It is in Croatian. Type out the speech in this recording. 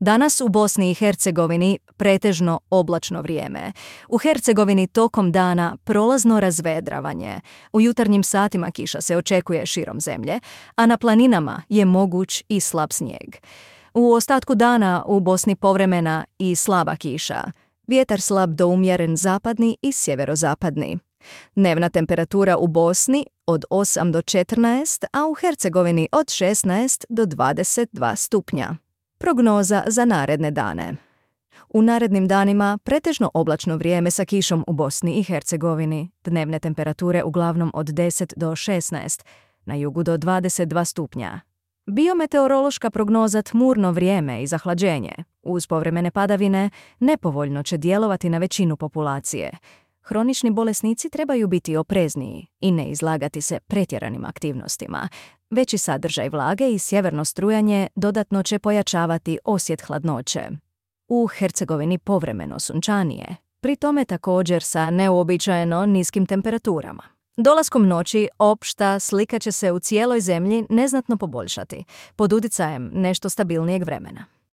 Danas u Bosni i Hercegovini pretežno oblačno vrijeme. U Hercegovini tokom dana prolazno razvedravanje. U jutarnjim satima kiša se očekuje širom zemlje, a na planinama je moguć i slab snijeg. U ostatku dana u Bosni povremena i slaba kiša. Vjetar slab do umjeren zapadni i sjeverozapadni. Dnevna temperatura u Bosni od 8 do 14, a u Hercegovini od 16 do 22 stupnja. Prognoza za naredne dane. U narednim danima pretežno oblačno vrijeme sa kišom u Bosni i Hercegovini. Dnevne temperature uglavnom od 10 do 16, na jugu do 22 stupnja. Biometeorološka prognoza tmurno vrijeme i zahlađenje. Uz povremene padavine nepovoljno će djelovati na većinu populacije. Hronični bolesnici trebaju biti oprezniji i ne izlagati se pretjeranim aktivnostima. Veći sadržaj vlage i sjeverno strujanje dodatno će pojačavati osjet hladnoće. U Hercegovini povremeno sunčanije, pri tome također sa neuobičajeno niskim temperaturama. Dolaskom noći opšta slika će se u cijeloj zemlji neznatno poboljšati, pod utjecajem nešto stabilnijeg vremena.